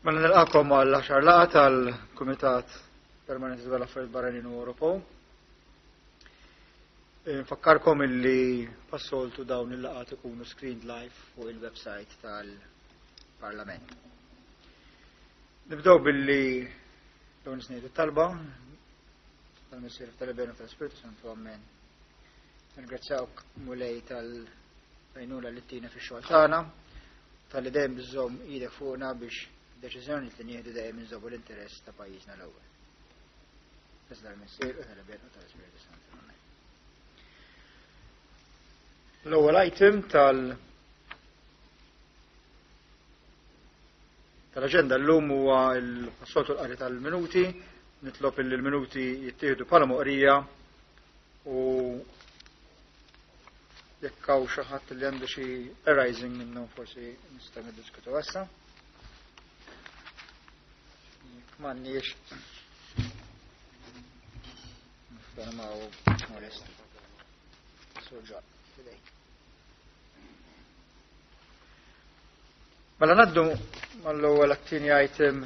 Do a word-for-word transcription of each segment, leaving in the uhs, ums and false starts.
Mela nilqakom għal għaxar laqgħa tal-Kumitat Permanenti dwar l-Affarijiet Barranin u Ewropew. Nfakkarkom illi passoltu dawn il-laqgħat ikunu screened live fuq il-website tal-Parlament. Nibdew billi dawn isnejdu talba tal-Missier tal-Iben u tal-Spiritu Santu Amen. Nirringrazzjawk Mulej tal-għajnuna li ttina fix-xogħol tagħna, talli dejjem iżżomm idek fuqna biex deċiżjoni li nieħdu dejjem inżommu l-interess ta' pajjiżna l-ewwel. Iżda l-Missier u tal-Iben u tal-Spiritu Santu. Amen. L-ewwel item tal tal-aġenda llum huwa l-soltu l-qari tal-minuti, nitlob illi l-minuti jittieħdu bħala moqrija u jekk hawn xi ħadd li għandu xi arising minnhom forsi nistgħu niddiskutu issa. Jekk m'għandniex niffermaw molesti. Surġa, fidejk. Mela ngħaddu mal-ewwel għat-tieni item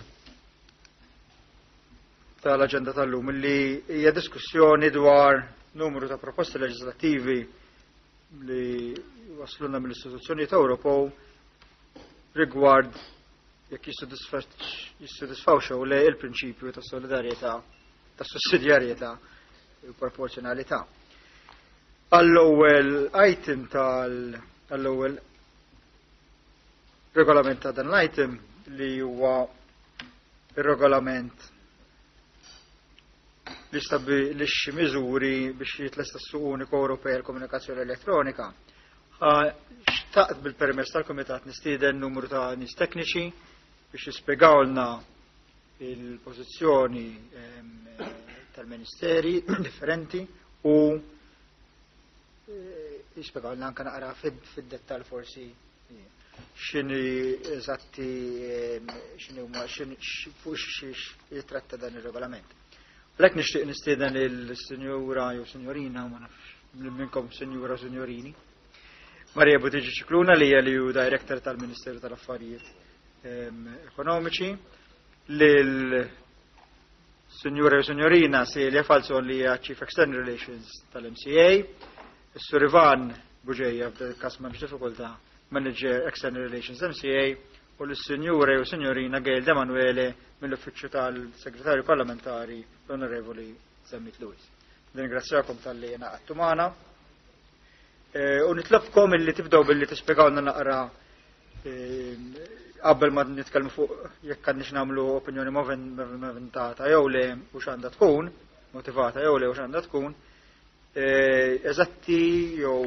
tal-aġenda tal-lum li hija diskussjoni dwar numru ta' proposti leġislattivi li wasluna mill-istituzzjonijiet Ewropew rigward jekk jissodisfaw xew le il-prinċipju ta' solidarjetà, ta' sussidjarjetà u proporzjonalità. Għall-ewwel item tal għall-ewwel regolament ta' dan l-item li huwa ir-regolament li stabbilixxi miżuri biex jitlesta s-suq uniku Ewropej għall-komunikazzjoni elettronika. Xtaqt bil-permess tal-Kumitat nistieden numru ta' nies tekniċi biex jispjegawlna il-pożizzjoni tal-ministeri differenti u jispjegawlna anke naqra fid-dettall forsi x'inhi eżatti x'inhi huma fuq xiex jitratta dan ir-regolament. Għalhekk nixtieq nistieden il-sinjura jew sinjorina, ma nafx minnkom sinjura u sinjorini, Maria Buttigieg Scicluna li hija li hu Director tal-Ministeru tal-Affarijiet Ekonomiċi, lil Sinjura jew Sinjorina Celia Falzon li hija Chief External Relations tal-M C A, is-Sur Ivan Bugeja f'dak il-każ m'hemmx diffikultà, Manager External Relations M C A, u l-Sinjura jew Sinjorina Gail D'Emanuele mill-Uffiċċju tal-Segretarju Parlamentari l-Onorevoli Zammit Lewis. Ningrazzjakom tal-li ngħaqadtu magħna. U nitlobkom illi tibdew billi tispjegawlna naqra qabel ma nitkellmu fuq jekk għandniex nagħmlu opinjoni movimentata jew le u x'għandha tkun, motivata jew le u x'għandha tkun, eżatti jew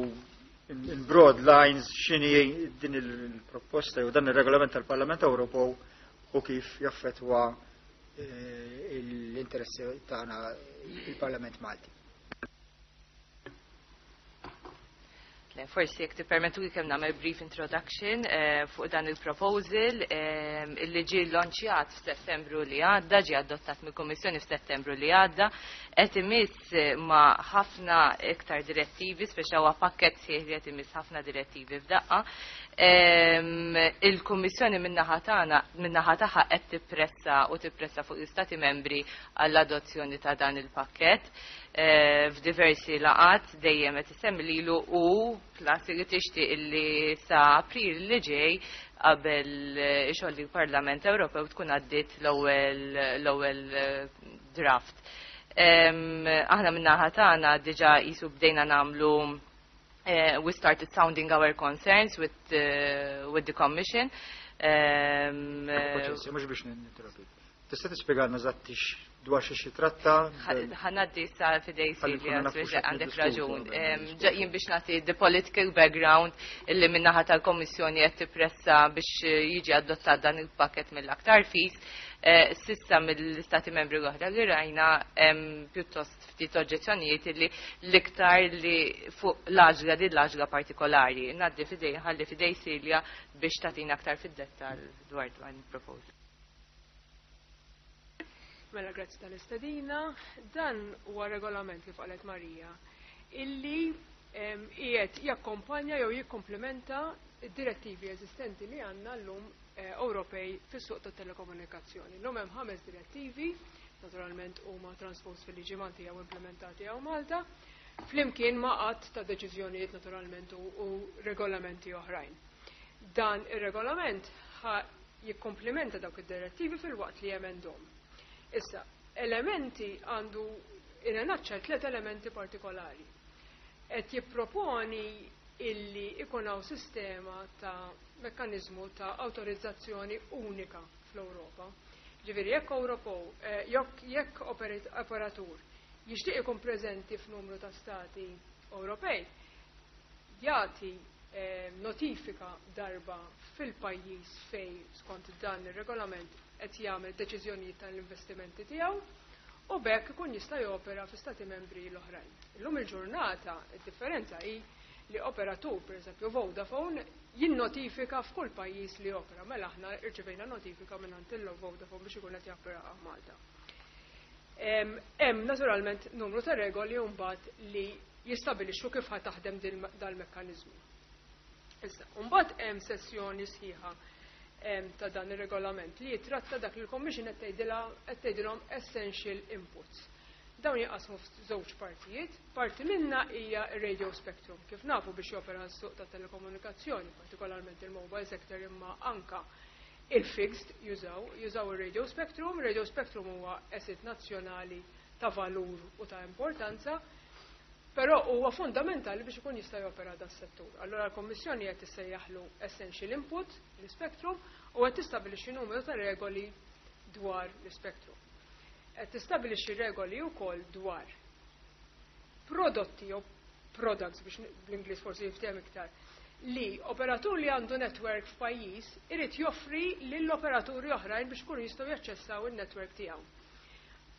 in broad lines x'inhi din il-proposta jew dan ir-regolament tal-Parlament Ewropew u kif jaffettwa l-interessi tagħna il-Parlament Malti. Forsi jekk tippermettu li kemm nagħmel brief introduction fuq dan il-proposal illi ġie launchjat f'Settembru li għadda, ġie adottat mill-Kummissjoni f'Settembru li għadda, qed imiss ma' ħafna iktar direttivi, speċa huwa pakkett sħiħ li qed imiss ħafna direttivi f'daqqa. Il-Kummissjoni min-naħa tagħna, min-naħa tagħha qed tippressa u tippressa fuq l-Istati membri għall-adozzjoni ta' dan il-pakkett. F'diversi laqat dejjem qed isemmi lilu u plus li tixtieq illi sa April li ġej qabel ixolli l-Parlament Ewropew tkun għaddiet l-ewwel l-ewwel draft. Aħna min-naħa tagħna diġà qisu bdejna nagħmlu, we started sounding our concerns with, uh, with the Commission. Paċenzja, mhux biex ninterrompi. Tista' tispjegalna eżatti dwar xi xi tratta? Ħanaddi sa fidej Ħalli Silvia, nkunu nafu speċa x'qed għandek niddiskutu raġun. qabel ma niddiskutu. Ġejjin biex nagħti the political background illi min-naħa tal-Kommissjoni qed tippressa biex jiġi adottat dan il-pakket mill-aktar fis. Sissa mill-Istati Membri l-oħra li rajna hemm pjuttost ftit oġġezzjonijiet illi l-iktar li fuq l-għaġla din l-għaġla partikolari. Ngħaddi fidej, ħalli fidej Silja biex tagħtina aktar fid-dettall dwar dan il-proposal. Mela, grazzi tal-istedina. Dan huwa regolament kif qalet Marija illi Qiegħed jakkompanja jew jikkomplementa id-direttivi eżistenti li għandna llum eh, Ewropej fis-suq tat-telekomunikazzjoni. Llum hemm ħames direttivi, naturalment huma transpost fil-liġi Malti jew implementati hawn Malta, flimkien ma' għadd ta' deċiżjonijiet naturalment u, u regolamenti oħrajn. Dan ir-regolament jikkomplementa dawk id-direttivi filwaqt li jemendhom. Issa, elementi għandu in a nutshell tliet elementi partikolari. Qed jipproponi illi ikun hawn sistema ta' mekkanizmu ta' autorizzazzjoni unika fl-Ewropa. Ġifieri jekk Ewropew, eh, jekk operatur jixtieq ikun preżenti f'numru ta' stati Ewropej, jagħti eh, notifika darba fil-pajjiż fej skont dan ir-regolament qed jagħmel deċiżjonijiet tal-investimenti tiegħu u b'hekk ikun jista' jopera fi stati membri l-oħrajn. Illum il-ġurnata id-differenza hi li operatur, per eżempju Vodafone, jinnotifika f'kull pajjiż li opera. Mela aħna rċevejna notifika minn il Vodafone biex ikun qed japera Malta. Hemm naturalment numru ta' regoli mbagħad li jistabilixxu kif ħa taħdem dal-mekkaniżmu. Issa, mbagħad hemm sessjoni sħiħa ta' dan ir-regolament li jitratta dak li l-Commission qed tgħidilhom essential inputs. Dawn jaqasmu f'żewġ partijiet. Parti minna hija radio spectrum, kif nafu biex jopera s-suq ta' telekomunikazzjoni, partikolarment il-mobile sector, imma anka il-fixed jużaw, jużaw il-radio spectrum. Radio spectrum huwa asset nazzjonali ta' valur u ta' importanza, però huwa fundamentali biex ikun jista' jopera da settur. Allora l-Kommissjoni qed tissejjaħlu essential input l-spectrum u qed tistabbilixxi numru ta' regoli dwar l-spectrum. Qed tistabbilixxi regoli wkoll dwar prodotti jew products, biex bl-Ingliż forsi jiftehom iktar, li operatur li għandu network f'pajjiż irid joffri lill-operaturi oħrajn biex kunu jistgħu jaċċessaw in-network tiegħu.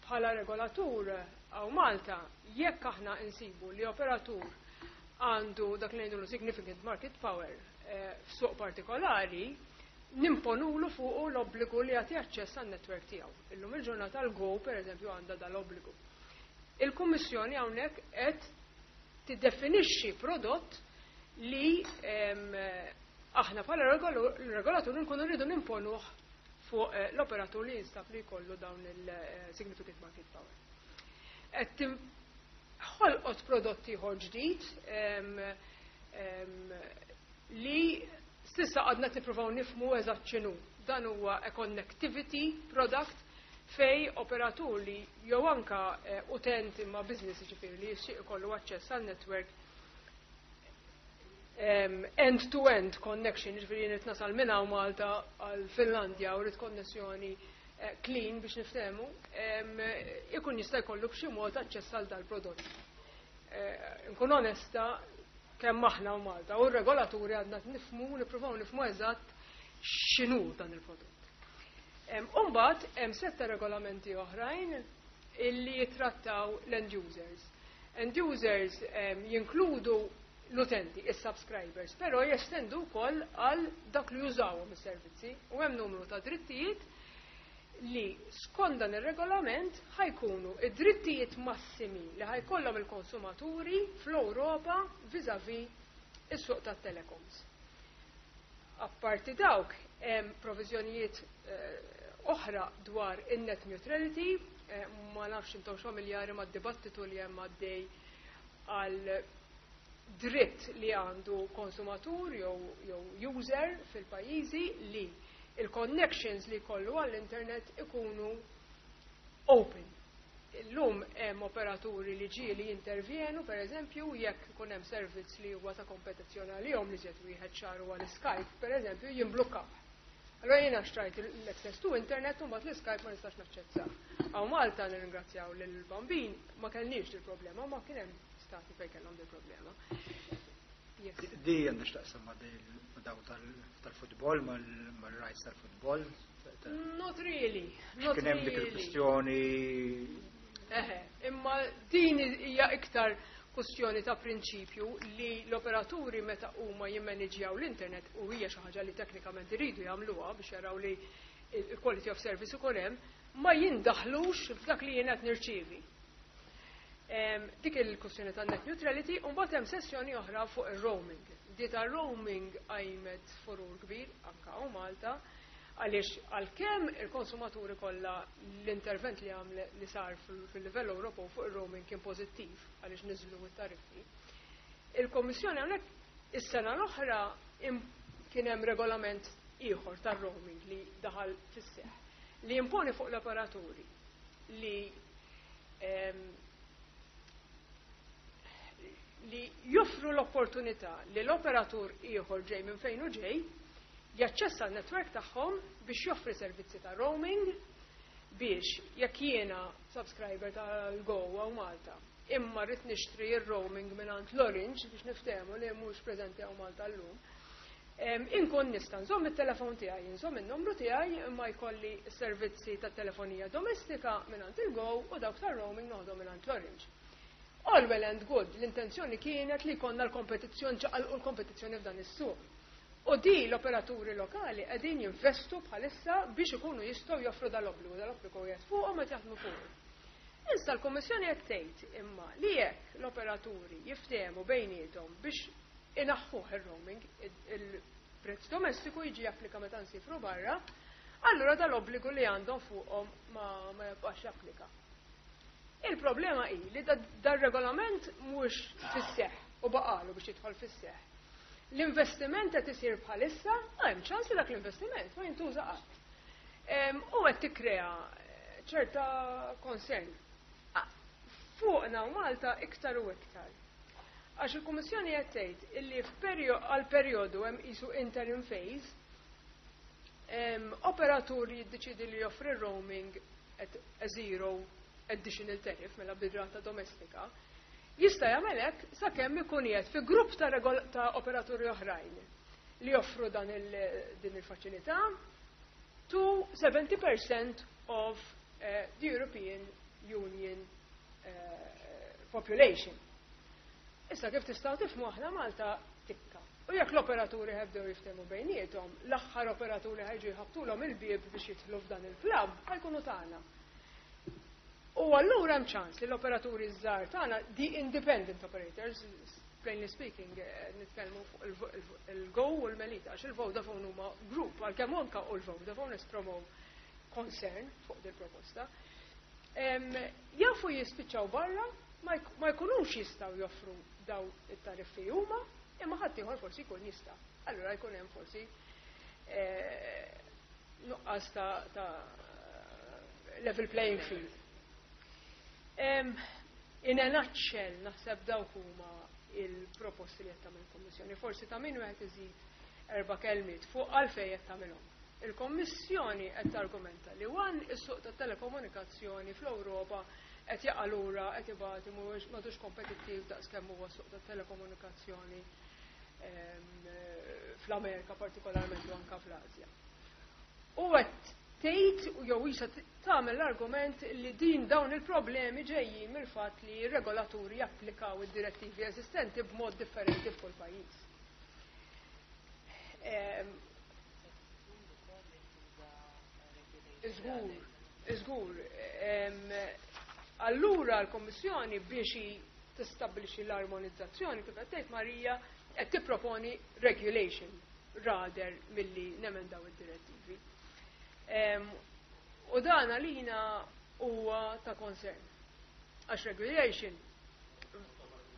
Bħala regolatur hawn Malta, jekk aħna insibu li operatur għandu dak li ngħidu significant market power eh, f'suq partikolari, nimponulu fuqu l-obbligu li jagħti aċċess għan-network tiegħu. Illum il-ġurnata l-Go, per eżempju, għandha dal-obbligu. Il-Kummissjoni hawnhekk qed tiddefinixxi prodott li aħna bħala regolatur nkunu rridu nimponuh fuq eh, l-operatur li jinstab li jkollu dawn il-significant market power. Qed ħolqot prodotti ieħor ġdid li s'issa għadna nippruvaw nifhmu eżatt x'inhu. Dan huwa a connectivity product fej operatur li jew anka eh, utent imma business, ġifieri li jixtieq ikollu aċċess għal network end-to-end connection, ġifieri jien nasal minn hawn Malta għal Finlandja u rrid konnessjoni eh, clean biex niftehmu, ikun jista' jkollu b'xi mod aċċess għal dal-prodott. Eh, nkun onesta, kemm aħna u Malta u r-regolaturi għadna nifhmu, nippruvaw nifhmu eżatt x'inhu dan il-prodott. Umbagħad hemm setta regolamenti oħrajn illi jitrattaw l-end users. End users jinkludu l-utenti, is-subscribers, però jestendu wkoll għal dak li jużawhom is-servizzi u hemm numru ta' drittijiet li skont dan ir-regolament ħa jkunu id-drittijiet massimi li ħa jkollhom il-konsumaturi fl-Ewropa vis-à-vis is-suq tat-telecoms. Apparti dawk hemm proviżjonijiet eh, oħra dwar in-net neutrality, eh, ma nafx intom familjari mad-dibattitu li hemm għaddej għal dritt li għandu konsumatur jew jew user fil-pajjiżi li il-connections li jkollu għall-internet ikunu open. Illum hemm operaturi li ġieli jintervjenu, per eżempju, jekk ikun hemm servizz li huwa ta' kompetizzjoni għalihom, li ġiet wieħed ċar huwa l-Skype, per eżempju, jimblukkaw. Allora jiena xtrajt l-access to internet u mbagħad l-Skype ma nistax naċċessa. Hawn Malta nirringrazzjaw lill-Bambin ma kellniex il-problema, ma kien hemm stati fejn kellhom il-problema. Yes. Di għandha x'taqsam ma' daw tal-futbol, mal-rights tal-futbol? Not really. Not Kien hemm dik really. il-kwistjoni. Eħe, imma din hija iktar kwestjoni ta' prinċipju li l-operaturi meta huma jimmaniġjaw l-internet, u hija xi ħaġa li teknikament iridu jagħmluha biex jaraw li il-quality of service ukoll hemm, ma jindaħlux f'dak li jien qed nirċievi. Dik il-kwestjoni ta' net neutrality, u mbagħad hemm sessjoni oħra fuq ir-roaming. Di ta' roaming qajmet furur kbir anka hawn Malta, għaliex għalkemm il-konsumaturi kollha l-intervent li għamle li sar fil-livell Ewropew fuq ir-roaming kien pożittiv għaliex niżlu t-tariffi. Il-Kommissjoni hawnhekk is-sena l-oħra kien hemm regolament ieħor tar-roaming li daħal fis-seħħ li imponi fuq l-operaturi li li joffru l-opportunità li l-operatur ieħor ġej minn fejn u ġej jaċċessa n-netwerk tagħhom biex joffri servizzi ta' roaming biex jekk jiena subscriber tal-Go hawn Malta imma rrid nixtri r-roaming mingħand l-Orange biex niftehmu li mhux preżenti hawn Malta llum. Inkun nista' nżomm it-telefon tiegħi, nżomm in-numru tiegħi imma jkolli servizzi ta' telefonija domestika mingħand il-Go u dawk tar-roaming noħodhom mingħand l-Orange. All well and good, l-intenzjoni kienet li jkollna l-kompetizzjoni ċaqalqu l-kompetizzjoni f'dan is-suq. U di l-operaturi lokali qegħdin jinvestu bħalissa biex ikunu jistgħu joffru dal-obbligu, dal-obbligu qiegħed fuqhom qed jaħdmu fuq. Issa l-Kummissjoni qed tgħid imma li jekk l-operaturi jiftehmu bejniethom biex inaħħuh ir-roaming, il-prezz domestiku jiġi japplika meta nsifru barra, allura dal-obbligu li għandhom fuqhom ma, ma jibqax japplika. Il-problema hi li dar-regolament mhux fis-seħħ u baqalu biex jidħol fis-seħħ. L-investiment qed isir bħalissa, hemm ċans li dak l-investiment ma jintuża qatt. U qed tikkrea ċerta concern. Fuqna u Malta iktar u iktar. Għax il-Kummissjoni qed tgħid illi għal perjodu hemm qisu interim phase, operatur jiddeċidi li joffri roaming at a zero additional tariff mela bid-rata domestika, jista' jagħmel hekk sakemm ikun qiegħed fi grupp ta', ta' operaturi oħrajn li joffru dan il, din il-faċilità to seventy percent of uh, the European Union uh, population. Issa kif tistgħu tifhmu aħna Malta tikka. U jekk l-operaturi ħebdew jiftehmu bejniethom, l-aħħar operaturi ħa jiġu jħabbtulhom il-bieb biex jidħlu f'dan il-klabb ħa jkunu tagħna. U allura hemm ċans li l-operaturi żgħar tagħna, the independent operators, plainly speaking, eh, nitkellmu fuq il-Go u l-Melita, għax il-Vodafone huma group, għalkemm anka u l-Vodafone esprimew concern fuq dil proposta. Jafu jispiċċaw barra, ma jkunux jistgħu joffru daw it-tariffi huma, imma ħadd ieħor forsi jkun jista'. Allura jkun hemm forsi eh, nuqqas ta' level playing field. In a nutshell, naħseb dawk huma il-proposti li qed tagħmel il-Kommissjoni. Forsi ta' min wieħed iżid erba' kelmiet fuq għalfejn qed tagħmilhom. Il-Kommissjoni qed targumenta li wan is-suq tat-telekomunikazzjoni fl-Ewropa qed jaqa' lura, qed ibati, mhuwiex m'għadux kompetittiv daqs kemm huwa suq tat-telekomunikazzjoni fl-Amerika partikolarment u anka fl-Asja. U qed tgħid jew isa tagħmel l-argument li din dawn il-problemi ġejjin mill-fatt li r-regolaturi japplikaw id-direttivi eżistenti b'mod differenti f'kull pajjiż. Ehm, Żgur, żgur. Ehm, allura l-Kommissjoni biex tistabbilixxi l-armonizzazzjoni kif qed tgħid Marija qed tipproponi regulation rather milli nemendaw id-direttivi. U dan għalina huwa ta' concern. Għax regulation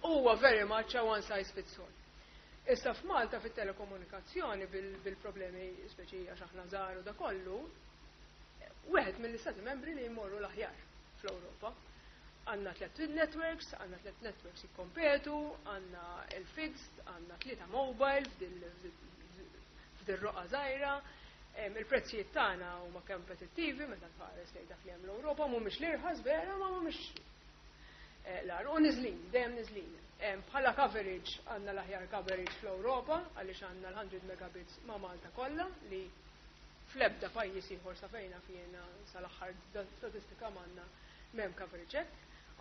huwa very much a one size fits all. Issa f'Malta fit-telekomunikazzjoni bil-problemi speċi għax aħna żgħar u da kollu, wieħed mill-istati membri li jmorru l-aħjar fl-Ewropa. Għandna tliet networks, għandna tliet networks jikkompetu, għandna il-fixed, għandna tlieta mobile f'dil roqa żgħira. Il-prezzijiet tagħna huma kompetittivi meta tħares lejn dak li hemm l-Ewropa, mhumiex l-irħas vera, ma mhumiex eh, l U niżlin, dejjem niżlin. Bħala coverage għandna l-aħjar coverage fl-Ewropa għaliex għandna l-mija megabits ma' Malta kollha li fl-ebda pajjiż ieħor sa fejna fjena sal-aħħar statistika m'għandna m'hemm coverage hekk.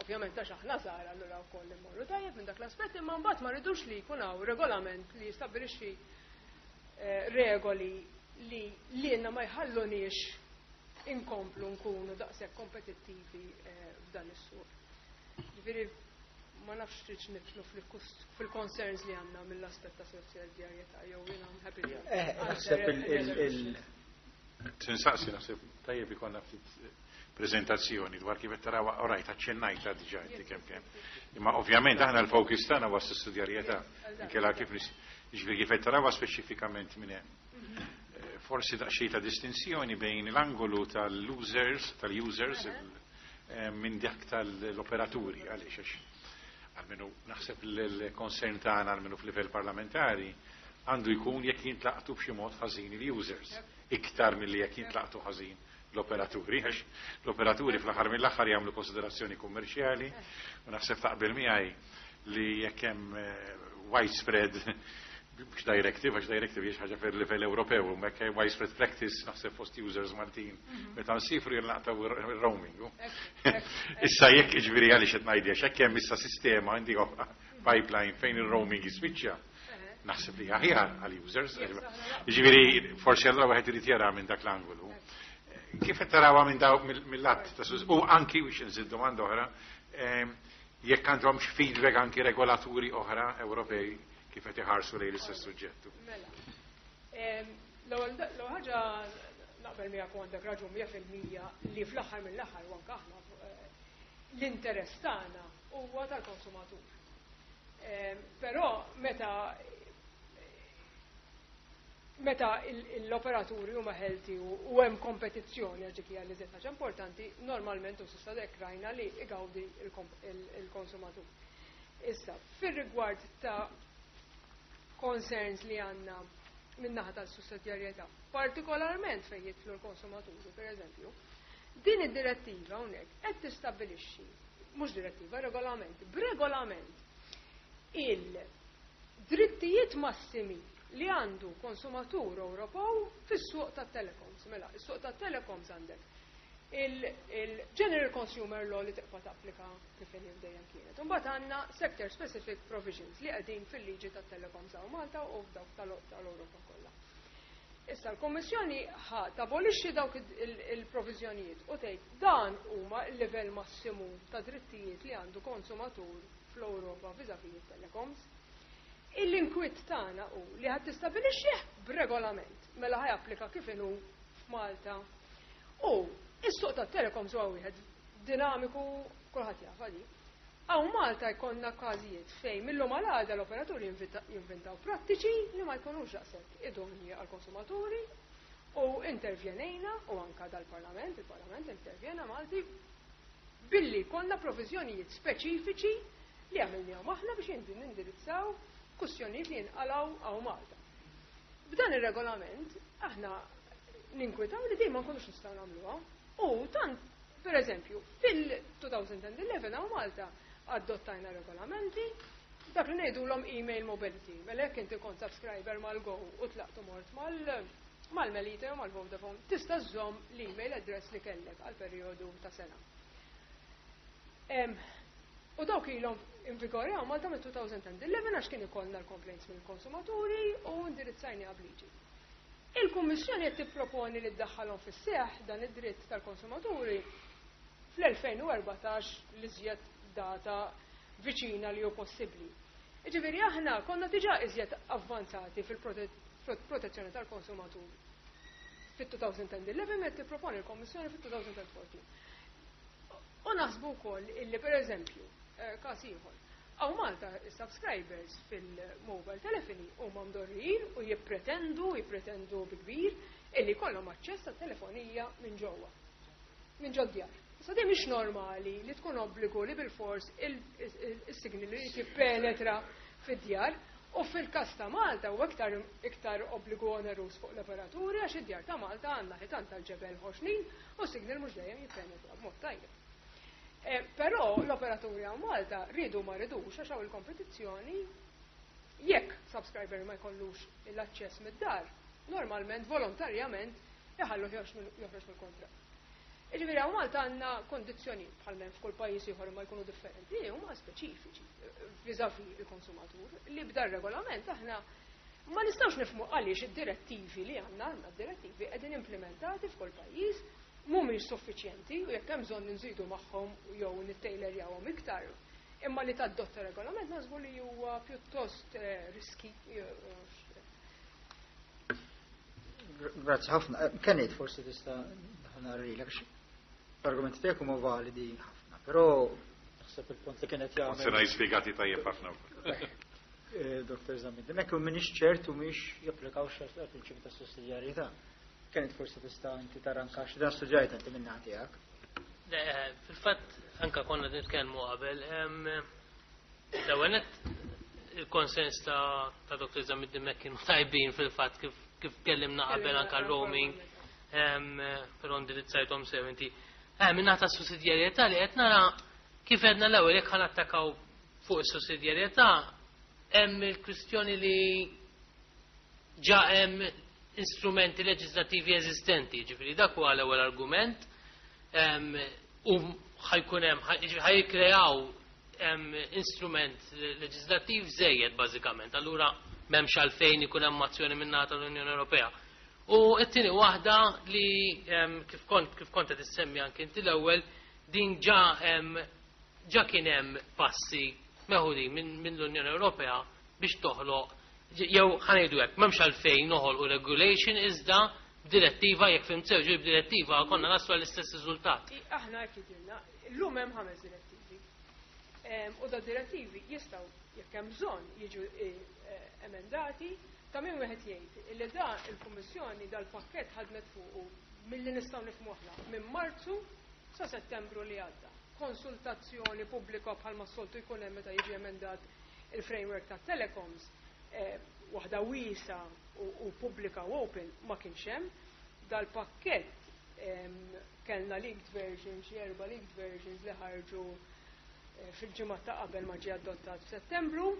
Ovvjament għax aħna żgħar allura wkoll immorru tajjeb minn dak l-aspett, imma mbagħad ma rridux li jkun hawn regolament li jistabbilixxi eh, regoli li lilna ma jħalluniex inkomplu nkunu daqshekk kompetittivi eh, f'dan is-suq. Ġifieri ma nafx tridx nidħlu fil-concerns li għandna mill-aspett ta' sussidjarjetà jew jiena I'm happy to Eh, naħseb il- il- Insaqsi, naħseb tajjeb ikollna ftit prezentazzjoni dwar kif qed taraw, orajt aċċennajta diġà inti kemm kemm. Imma ovvjament aħna l-focus tagħna huwa s-sussidjarjetà. Inkella kif jiġifieri kif qed tarawha speċifikament minn hemm. Eh, forsi daqsxejn ta' distinzjoni bejn l-angolu tal-users, tal-users eh, minn dak tal-operaturi, għaliex għax almenu naħseb l-concern tagħna, almenu f'livell parlamentari, għandu jkun jekk jintlaqtu b'xi mod ħażin il-users iktar milli jekk jintlaqtu ħażin l-operaturi, għax l-operaturi fl-aħħar mill-aħħar jagħmlu konsiderazzjoni kummerċjali u naħseb taqbel miegħi li jekk hemm eh, widespread, mhux directive, għax directive hija ħaġa fil livell Ewropew, u hekk hemm widespread practice naħseb fost users Maltin meta nsifru jinqatgħu ir-roaming. Issa jekk, jiġifieri għaliex qed ngħidli, għax jekk hemm issa sistema għandi pipeline fejn ir-roaming jispiċċa, naħseb li aħjar għal users. Jiġifieri forsi allura wieħed irid jara minn dak l-angolu. Kif qed tarawha minn daw mill-lat ta' sus u anki biex nżid domanda oħra, ehm, jekk għandhomx feedback anki regolaturi oħra Ewropej kif qed iħarsu lejn l-istess suġġettu. Mela. Em, L-ewwel l-ewwel ħaġa, naqbel miegħek u għandek raġun mija fil-mija li fl-aħħar mill-aħħar u anke aħna eh, l-interess tagħna huwa tal-konsumatur. Em, Però meta meta l-operaturi huma healthy u hemm kompetizzjoni, għax dik hija li ħaġa importanti, normalment u s'issa dek rajna li igawdi il-konsumatur. Issa, fir-rigward ta' concerns li għandna min-naħa tal-sussidjarjetà, partikolarment fejn jidħlu l-konsumaturi, per eżempju, din id-direttiva hawnhekk qed tistabbilixxi, mhux direttiva, regolament, b'regolament il-drittijiet massimi li għandu konsumatur Ewropew fis-suq tat-telecoms. Mela, is-suq tat-telecoms għandek il-General Consumer Law li tibqa' tapplika kif inhi dejjem kienet. Imbagħad għandna sector specific provisions li qegħdin fil-liġi tat-telecoms hawn Malta u f'dawk tal-Ewropa kollha. Issa l-Kommissjoni ħa tabolixxi dawk il-proviżjonijiet u tgħid dan huma l-livell massimu ta' drittijiet li għandu konsumatur fl-Ewropa vis-à-vis it-telecoms. Il-inkwiet tagħna hu li ħadd tistabbilixxih b'regolament, mela ħa japplika kif inhu f'Malta. U is-suq tat-telecoms huwa wieħed dinamiku, kulħadd jaf għadi. Hawn Malta jkollna każijiet fejn millum għal għada l-operaturi jinventaw prattiċi li ma jkunux daqshekk idonji għall-konsumaturi u intervjenejna u anka dal-Parlament, il-Parlament intervjena Malti billi konna provizjonijiet speċifiċi li għamilnihom aħna biex nindirizzaw kwistjonijiet li jinqalaw hawn Malta. B'dan ir-regolament aħna ninkwitaw li dejjem ma nkunux nistgħu nagħmluha. U tant, per eżempju, fil-elfejn u ħdax hawn Malta adottajna regolamenti dak li ngħidulhom email mobility. Mela jekk inti kont subscriber mal-Go u tlaqtu mort mal mal-Melita jew mal-Vodafone, tista' żżomm l-email address li kellek għal perjodu ta' sena. U dawk ilhom in vigore hawn Malta mit-elfejn u ħdax għax kien ikollna l-complaints mill-konsumaturi u indirizzajni b'liġi. Il-Kummissjoni qed tipproponi li ddaħħalhom fis-seħ dan id-dritt tal-konsumaturi fl-elfejn u erbatax, l-iżjed data viċina li hu possibbli. Ġifieri aħna konna diġà iżjed avvanzati fil-protezzjoni tal-konsumatur fit-elfejn u ħdax qed tipproponi l-Kommissjoni fit-elfejn u erbatax. U naħsbu wkoll illi, per eżempju, eh, każ ieħor, hawn Malta subscribers fil-mobile telephony huma mdorrijin u jippretendu, jippretendu bi kbir, illi kollhom aċċess għat-telefonija minn ġewwa. Minn ġod-djar. Issa din mhix normali li tkun obbligu li bil-fors il-signal li jippenetra fid-djar u fil-każ ta' Malta u iktar iktar obbligu onerus fuq l-operaturi għax id-djar ta' Malta għandna ħitan tal-ġebel ħoxnin u signal mhux dejjem jippenetra b'mod tajjeb. Eh, però l-operaturi hawn Malta ridu ma ridux, għax hawn il-kompetizzjoni, jekk subscriber ma jkollux l-aċċess mid-dar, normalment volontarjament iħallu joħroġ mill-kontratt. Ġifieri hawn Malta għandna kondizzjoni bħal men f'kull pajjiż ieħor ma jkunu differenti, li huma speċifiċi vis-à-vis il-konsumatur li b'dar regolament aħna ma nistgħux nifhmu għaliex id-direttivi li għandna, għandna direttivi qegħdin implementati f'kull pajjiż. Mhumiex suffiċjenti u jekk hemm bżonn nżidu magħhom jew nittejlerjawhom iktar. Imma li tadotta regolament naħsbu li huwa pjuttost eh, risky. Grazzi ħafna. Eh, Kenneth, forsi tista' nagħrilek l-argumenti tiegħek huma validi ħafna, però naħseb il-punt li kienet jagħmel. Sena jispjegati tajjeb ħafna. Eh, Dottor Zammit Dimech, u m'iniex ċert u mhix japplikaw għal-prinċipju ta' sussidjarjetà. Kienet forsi tista' inti taranka xi dan studjajt inti minn tiegħek. Eh, fil-fatt anka konna nitkellmu qabel, l-ewwel il-konsens ta' Dottor Zammit Dimech kienu tajbin fil-fatt kif kif tkellimna qabel anka roaming, però indirizzajthom sew inti. Eh, minn ta' sussidjarjetà li qed nara kif għedna l-ewwel, jekk ħa nattakaw fuq is-sussidjarjetà, hemm il-kwistjoni li ġa hemm instrumenti leġislattivi eżistenti, ġifieri dak huwa l-ewwel argument, u ħa jkun hemm ħa jikkreaw instrument leġislattiv żejjed bażikament. Allura m'hemmx għalfejn ikun hemm azzjoni min-naħa tal-Unjoni Ewropea. U t-tieni waħda li kif kont kif kont qed issemmi anke inti l-ewwel, din ġa ġa kien hemm passi meħudin minn l-Unjoni Ewropea biex toħloq, jew ħa ngħidu hekk, m'hemmx għalfejn noħolqu regulation, iżda direttiva, jekk fhimt sew, ġib direttiva konna naslu għall-istess riżultat. Aħna hekk jidhirlna, llum hemm ħames direttivi. U da direttivi jistgħu, jekk hemm bżonn, jiġu eh, emendati. Ta' min wieħed jgħid li da il-Kummissjoni dal-pakkett ħadmet fuqu, milli nistgħu nifhmu aħna, minn Marzu sa Settembru li għadda. Konsultazzjoni pubblika bħalma soltu jkun hemm meta jiġi emendat il-framework ta' telecoms, eh, waħda wiesgħa u pubblika u open, ma kienx hemm. Dal-pakkett kellna leaked versions, xi erba' leaked versions li ħarġu eh, fil-ġimgħa ta' qabel ma ġie adottat f'Settembru.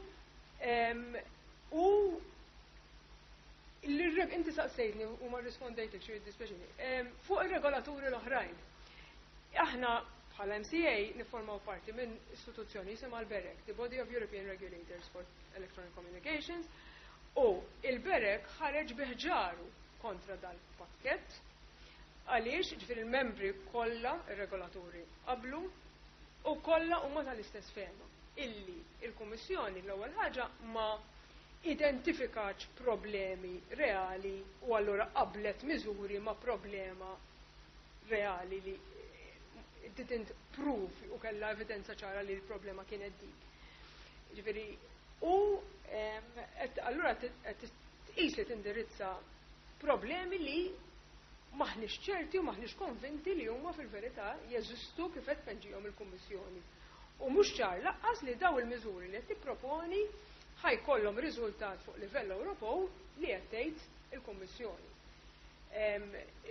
U inti saqsejtni u ma rispondejtek, xi jiddispjaċini. Fuq ir-regolaturi l-oħrajn. Aħna bħala M C A niformaw parti minn istituzzjoni jisimha l-BEREC, the Body of European Regulators for Electronic Communications, u il-BEREC ħareġ bi ħġaru kontra dal-pakket, għaliex ġifieri il-membri kollha, ir-regolaturi, qablu u kollha huma tal-istess fehma illi il-Kummissjoni l-ewwel ħaġa ma identifikax problemi reali u allura qablet miżuri ma' problema reali li didn't prove u kella evidenza ċara li l-problema kienet dik. Ġifieri, u allura tqis li tindirizza problemi li maħniex ċerti u maħniex konvinti li huma fil-verità jeżistu kif qed tpinġihom il-Kummissjoni. U mhux ċar lanqas li daw il-miżuri li qed tipproponi ħa jkollhom riżultat fuq livell Ewropew li qed tgħid il-Kummissjoni.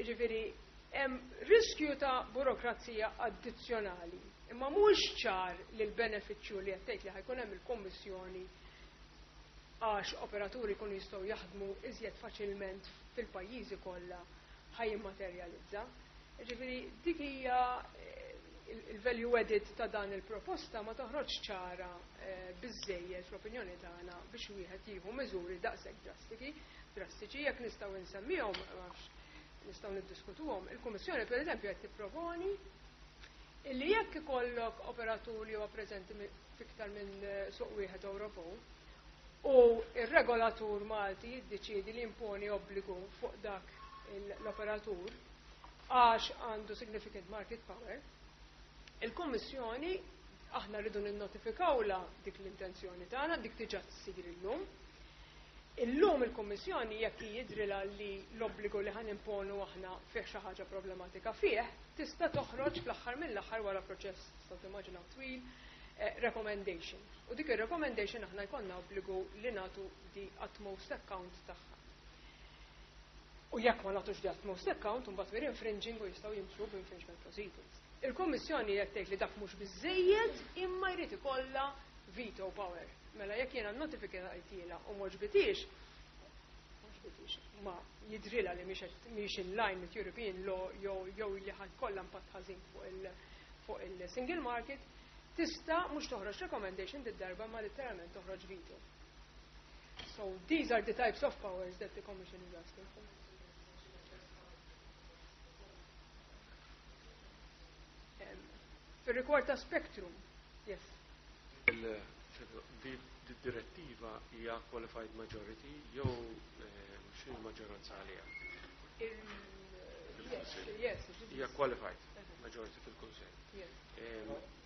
Ġifieri, hemm riskju ta' burokrazija addizzjonali, imma mhux ċar li l-benefiċċju li qed tgħid li ħa jkun hemm il-Kummissjoni għax operaturi jkunu jistgħu jaħdmu iżjed faċilment fil-pajjiżi kollha ħa jimmaterjalizza. Ġifieri dik hija eh, il-value added ta' dan il-proposta, ma toħroġ ċara eh, biżejjed fl-opinjoni tagħna biex wieħed jieħu miżuri daqshekk drastiki, drastiċi jekk nistgħu nsemmihom, nistgħu niddiskutuhom. Il-Kummissjoni, pereżempju, qed tipproponi illi jekk ikollok operatur li huwa preżenti fiktar minn eh, suq wieħed Ewropew u ir-regolatur Malti jiddeċiedi li imponi obbligu fuq dak l-operatur għax għandu significant market power, il-Kummissjoni aħna rridu ninnotifikawla dik l-intenzjoni tagħna, dik diġà tsir illum. Illum il-Kummissjoni, jekk jidhrilha li l-obbligu li ħa nimponu aħna fih xi ħaġa problematika fih, tista' toħroġ fl-aħħar mill-aħħar, wara proċess tistgħu timmaġinaw twil, eh, recommendation. U dik ir-recommendation aħna jkollna obbligu li nagħtu the utmost account tagħha. U jekk ma nagħtux the utmost account, imbagħad we're infringing u jistgħu jimxu b'infringement proceedings. Il-Kummissjoni qed tgħid li dak mhux biżejjed, imma jrid ikollha veto power. Mela jekk jiena notifikajtilha u m'għoġbitix, ma jidhrilha li mhix in line with European law jew jew li ħa jkollha impatt ħażin fuq il fuq il-single market, tista' mhux toħroġ recommendation did-darba, ma literalment toħroġ veto. So these are the types of powers that the Commission is asking for. Fir-rigward ta' spectrum, yes. Direttiva hija qualified majority jew x'inhi maġġoranza għaliha? Yes, yes. Hija qualified majority fil-Kunsell.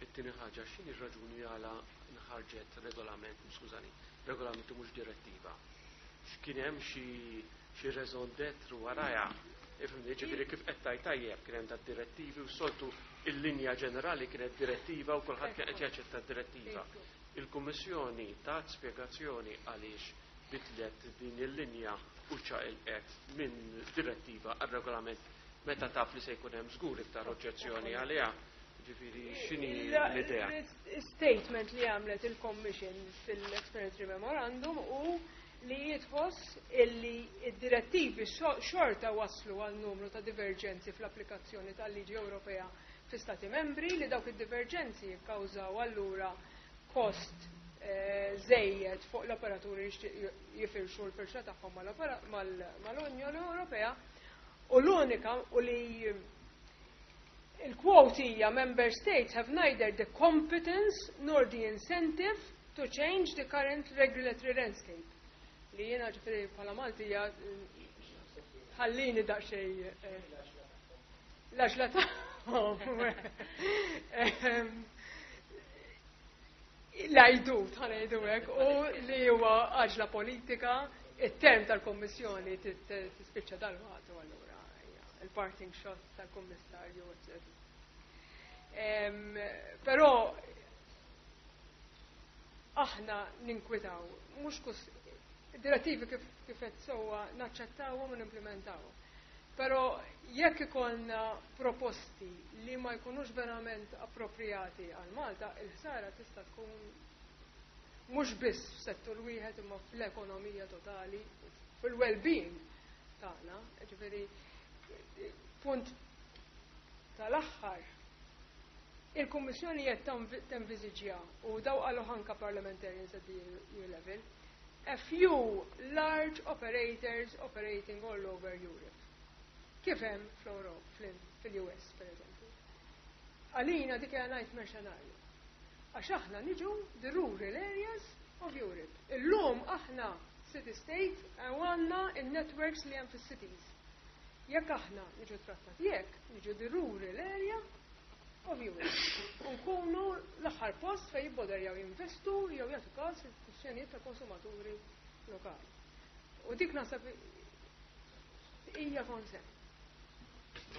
It-tieni ħaġa, x'inhi r-raġuni għala nħarġet regolament, skużani, regolament u mhux direttiva? X'kien hemm xi xi raison d'être warajha? Ifhimni, ġifieri kif qed tgħid tajjeb kien hemm direttivi u soltu il-linja ġenerali kienet direttiva u kulħadd kien qed jaċċetta d-direttiva. Il-Kummissjoni tat spjegazzjoni għaliex bidlet din il-linja u ċaqilqet minn direttiva għal regolament meta taf li se jkun hemm żgur iktar oġġezzjoni għaliha. Ġifieri x'inhi l-idea? Statement li għamlet il-Commission fil-Explanatory Memorandum u li jitħoss illi id-direttivi xorta waslu għal numru ta' divergenzi fl-applikazzjoni tal-liġi Ewropea fi stati membri, li dawk id-divergenzi jikkawżaw allura kost żejjed fuq l-operaturi jifirxu l-firxa tagħhom mal-Unjoni Ewropea, u l-unika u li il-quote hija "Member states have neither the competence nor the incentive to change the current regulatory landscape." Li jiena, ġifieri, bħala Maltija ħallini daqsxejn l-għaġla tagħhom. L-għajdut, ħa ngħidu hekk, u li huwa għaġla politika, it-term tal-Kommissjoni tispiċċa dal-waqt u allura il-parting shot tal-Kommissarju, eccetera. Però aħna ninkwitaw, mhux kus direttivi kif kif qed sewwa naċċettawhom u nimplementawhom. Però jekk ikollna proposti li ma jkunux verament appropriati għal Malta, il-ħsara tista' tkun mhux biss f'settur wieħed imma fl-ekonomija totali, fil-well-being tagħna. Ġifieri, punt tal-aħħar, il-Kummissjoni qed tenviżiġja, u daw qalu anka parliamentarians at the E U level, a few large operators operating all over Europe. Kif hemm fl-Europa, fil-U S per eżempju. Għalina dik hija nightmare scenario. Għax aħna niġu the rural areas of Europe. Illum aħna city state u għandna il-networks li hemm fis-cities. Jekk aħna niġu trattati jekk, niġu the rural area of Europe. Nkunu l-aħħar post fejn jibboderjaw jinvestu jew jagħtu każ il-kwistjonijiet ta' konsumaturi lokali. U dik naħseb hija concern.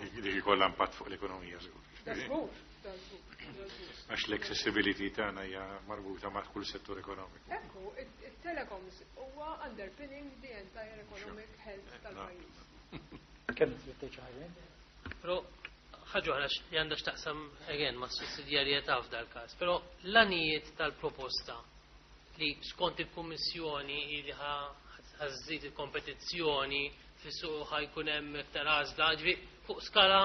Dik ikollha impatt fuq l-ekonomija żgur. Da żgur, da żgur, da żgur. Għax l-accessibility tagħna hija marbuta ma' kull settur ekonomiku. Ekku, it-telecoms huwa underpinning the entire economic health tal-pajjiż. Kemm trid tgħid xi ħaġa? Però ħaġa oħra li għandha x'taqsam again ma' sussidjarjetà f'dal każ, però l-għanijiet tal-proposta li skont il-Kummissjoni li ħa żżid il-kompetizzjoni fis-suq, ħa jkun hemm iktar għażla, ġifieri fuq skala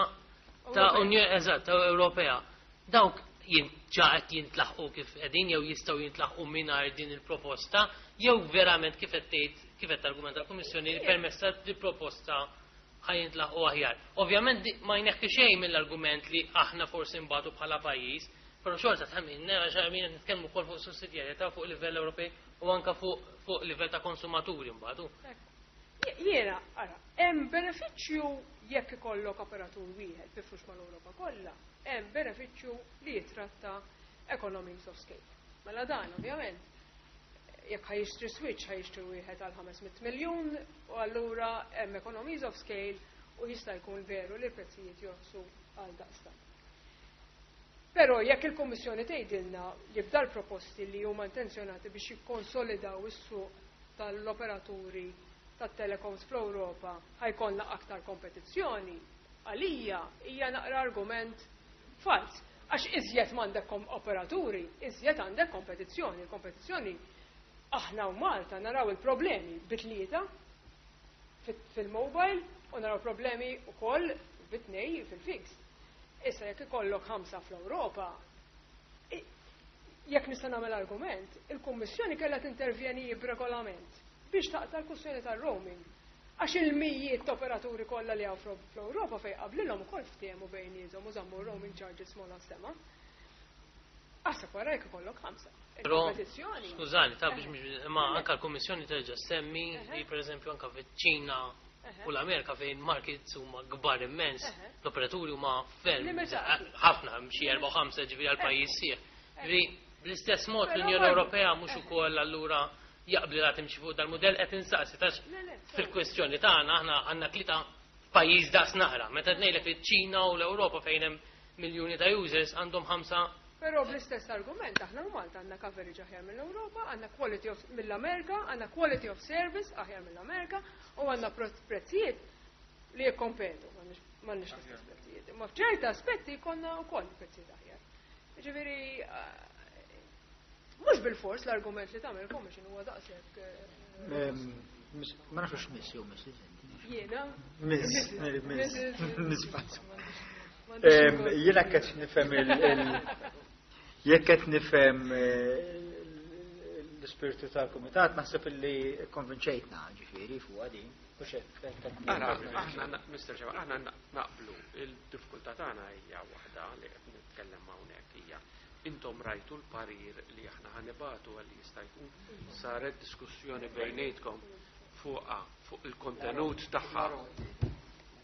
ta' Unjoni, eżatt, ta' Ewropea. Dawk ġa qed jintlaħqu kif qegħdin jew jistgħu jintlaħqu mingħajr din il-proposta, jew verament kif qed tgħid, kif qed argumenta l-Kummissjoni, li permezz il-proposta ħa jintlaħqu aħjar? Ovvjament ma jneħħi xejn mill-argument li aħna forsi nbatu bħala pajjiż, però xorta tħammin, għax għamin nitkellmu wkoll fuq sussidjarjetà fuq livell Ewropej u anka fuq fuq livell ta' konsumaturi mbagħad. Jiena, ara, hemm benefiċċju jekk ikollok operatur wieħed bifrux mal-Ewropa kollha, hemm benefiċċju li jitratta economies of scale. Mela dan, ovvjament, jekk ħa jixtri switch, ħa jixtri wieħed għal ħames mitt miljun u allura hemm economies of scale u jista' jkun veru li l-prezzijiet jorħsu għal daqstant. Però jekk il-Kommissjoni tgħidilna li b'dal proposti li huma intenzjonati biex jikkonsolidaw is-suq tal-operaturi tat-telecoms fl-Ewropa ħa jkollna aktar kompetizzjoni, għalija hija naqra argument fals. Għax iżjed m'għandek operaturi, iżjed għandek kompetizzjoni. Il-kompetizzjoni, aħna u Malta naraw il-problemi bit-tlieta fil-mobile u naraw problemi wkoll bit-tnej fil-fixed. Issa jekk ikollok ħamsa fl-Ewropa, jekk nista' nagħmel argument, il-Kummissjoni kellha tintervjeni b'regolament biex taqta' l-kwistjoni tal-roaming. Għax il-mijiet ta' operaturi kollha li hawn fl-Ewropa fejn qablilhom ukoll ftehmu bejniethom u żammu roaming charges m'ogħla sema. Aħseb wara jekk ikollok ħamsa. Però, skużani, ta' biex ma anka l-Kummissjoni terġa' semmi li pereżempju anka fiċ-Ċina u l-Amerika fejn markets huma kbar immens, l-operaturi huma ferm ħafna xi erba' ħamsa ġifieri għal pajjiż sieħ. Ġifieri bl-istess mod l-Unjoni Ewropea mhux ukoll allura jaqbli la timxi fuq dal-mudell qed insaqsi tax fil-kwestjoni tagħna aħna għandna tlieta f'pajjiż daqs naqra. Meta ngħidlek li ċ-Ċina u l-Ewropa fejn hemm miljuni ta' users għandhom ħamsa. Però bl-istess argument aħna Malta għandna coverage aħjar mill-Ewropa, għandna quality of mill-Amerika, għandna quality of service aħjar mill-Amerika u għandna prezzijiet li jikkompetu, m'għandniex l-istess prezzijiet. Imma f'ċerta aspetti jkollna wkoll prezzijiet aħjar. Ġifieri mhux bil-fors l-argument li tagħmel Commission huwa daqshekk. Ma nafx miss jew miss. Jiena? Miss, miss, miss. Jiena qed nifhem il jekk qed nifhem l-ispirtu tal-kumitat naħseb illi konvinċejtna ġifieri fuq din. Aħna, Mister Ġewa, aħna naqblu il-diffikultà tagħna hija waħda li qed nitkellem hawnhekk hija intom rajtu l-parir li aħna ħanibatu għalli jista' jkun saret diskussjoni bejnietkom fuqha fuq il-kontenut tagħha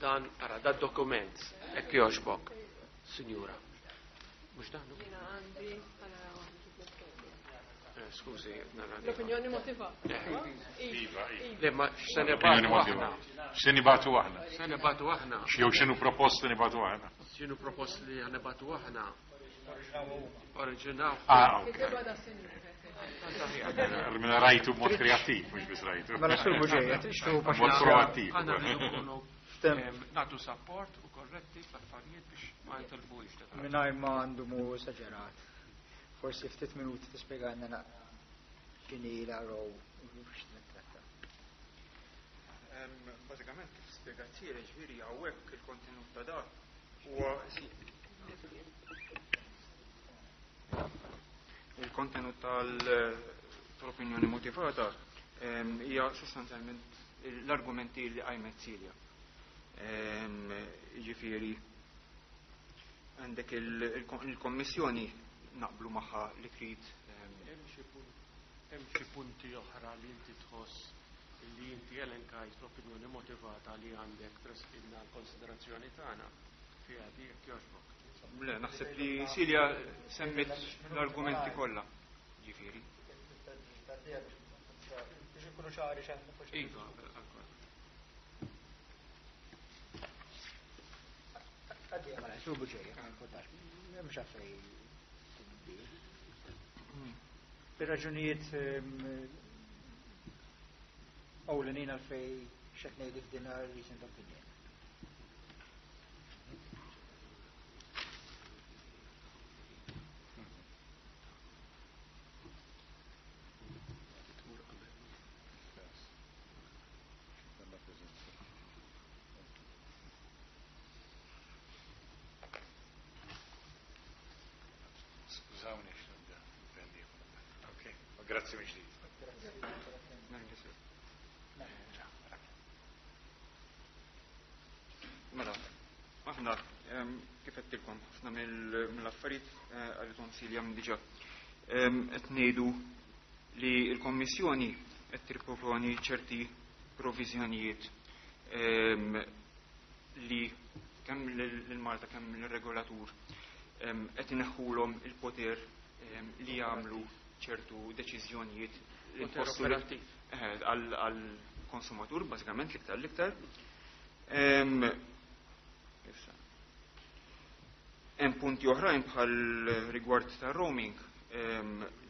dan ara da dokument hekk jogħġbok, sinjura. Mhux dan? Jiena għandi Skużi, nara. L-opinjoni motivata. Iva, iva. Le ma x'se nibatu aħna. X'se nibatu aħna. X'se nibatu aħna. Jew x'inhu proposti nibatu aħna. X'inhu proposti li ħanibatu aħna. Oriġinaw. Ah, ok. Mela rajtu b'mod kreattiv, mhux biss rajtu. Mela sur buġejja, trixtu B'mod proattiv. Aħna rridu nkunu nagħtu support u korretti fl-affarijiet biex ma jitilbux. Mingħajr ma għandu mu esaġerat. Forsi ftit minuti tispjegana naqra x'inhi l-R O u x'nittratta. Bażikament kif spjegat Sira, ġifieri hawnhekk il-kontenut ta' dak huwa il-kontenut tal-opinjoni motivata hija sostanzjalment l-argumenti li qajmet Silja. Ġifieri għandek il-Kommissjoni naqblu magħha li trid. Hemm xi punti oħra li inti tħoss li inti elenkajt l-opinjoni motivata li għandek tresqilna l-konsiderazzjoni tagħna fiha di jekk jogħġbok. Le, naħseb li Silja semmit l-argumenti kollha. Ġifieri. Biex ikunu ċari x'għandna. Iva, Għaddi, mela, sur buġejja, ma importax, m'hemmx għalfejn tibdil. Bir-raġunijiet ewlenin għalfejn x'qed ngħidu f'din reasoned opinion. Skużawni x'nibda. Ok, grazzi minn ġdid. Mela, aħna kif għedtilkom ħafna mill-affarijiet għalithom Silja minn diġà qed ngħidu li l-Kommissjoni qed tipproponi ċerti proviżjonijiet li kemm lil Malta kemm lir-regolatur qed ineħħulhom il-poter li jagħmlu ċertu deċiżjonijiet li Poter jħossu operattiv. għall-konsumatur bażikament l-iktar l-iktar. Issa. Hemm punti oħrajn bħal rigward ta' roaming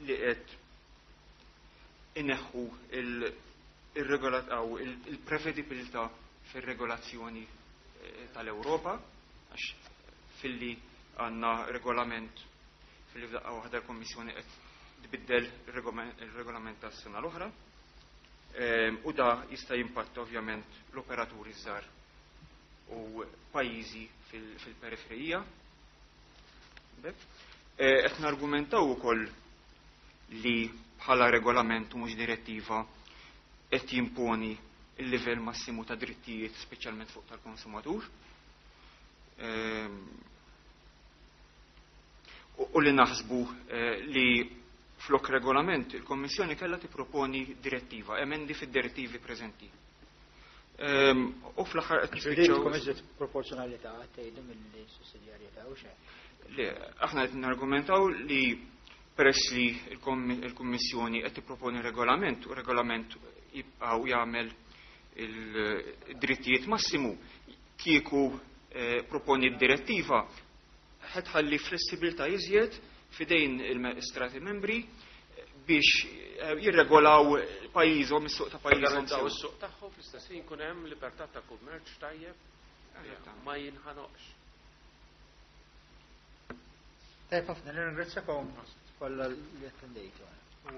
li qed ineħħu il-regolat aw il-prevedibilità fir-regolazzjoni eh, tal-Ewropa għax filli għandna regolament filli f'daqqa waħda l-Kommissjoni qed tbiddel il-regolament tas-sena l-oħra. U da jista' jimpatta ovvjament l-operaturi żgħar u pajjiżi fil-periferija. Qed nargumentaw ukoll li bħala regolament u mhux direttiva qed jimponi il-livell massimu ta' drittijiet speċjalment fuq tal-konsumatur. U li naħsbu li flok regolament il-Kommissjoni kellha tipproponi direttiva, emendi fid-direttivi preżenti. U fl-aħħar qed nispiċċaw iżjed proporzjonalità tgħidu mill-sussidjarjetà u xejn. Le, aħna qed nargumentaw li peress li l-Kummissjoni qed tipproponi regolament u regolament jibqgħu jagħmel il-drittijiet massimu, kieku proponi d-direttiva ħed ħalli flessibilità iżjed fidejn il-Stati membri biex jirregolaw pajjiżhom, is-suq ta' pajjiżhom. Jirregolaw is-suq tagħhom, fl-istess ħin jkun hemm libertà ta' kummerċ tajjeb ma jinħanoqx. Tajjeb ħafna, nirringrazzjakom kollha li attendejtu u